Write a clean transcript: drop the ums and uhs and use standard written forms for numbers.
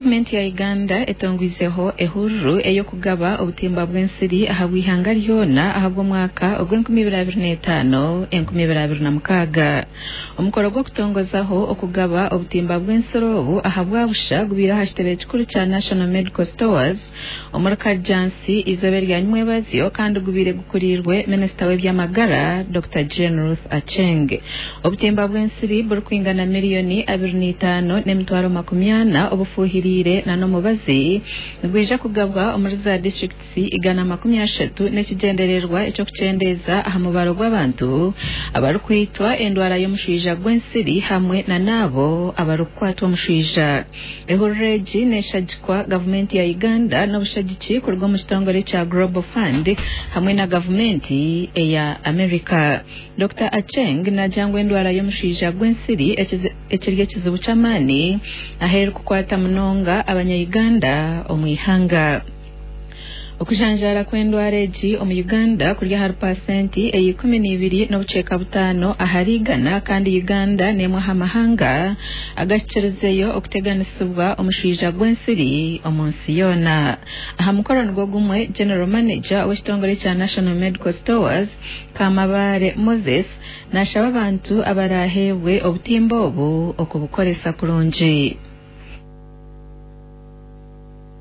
Gavumenti ya Uganda etongwizeho ehururu ey'okugaba obutimba bw'ensiri ahabw'eihanga ryona ahabw'omwaka ogw'2025-2026. Omukoro gw'okutongozaho okugaba obutimba bw'ensiri obu ahabwa busha gubaire aha kitebe kikuru kya National Medical Stores omuri Kajjansi eizooba erya nyimwebazyo kandi gubaire gukuriirwe minisita w'eby'amagara Dr Jane Ruth Aceng. Obutimba bw'ensiri burikwingana miriyoni 25,400,000 obufuhiriire n'omubazi nibwija kugabwa omuri za disiturikiti 130 n'ekigyendererwa eky'okukyendeeza aha mubaro gw'abantu abarikwitwa endwara y'omushwija gw'ensiri hamwe na n'abo abarikukwatwa omushwija. Ehururu egi neshagikwa gavumenti ya Uganda n'obushagiki kuruga omu kitongore kya Global Fund hamwe na gavumenti eya America. Dr Aceng naagira ngu endwara y'omushwija gw'ensiri ekiri ekizibu ky'amaani ahu erikukwata munonga abanya-Uganda omu ihanga. Okujanjaara kw'endwara egi omu Uganda kuri ahari paasenti eya 12.5 ahari igana kandi Uganda n'emwe aha mahanga agahikirizeyo okuteganisibwa omushwija gw'ensiri omu nsi yoona. Aha mukoro nigwo gumwe, General Manager w'ekitongore kya National Medical Stores, Kamabare Moses nashaba abantu abaraheebwe obutimba obu okubukoresa kurungi.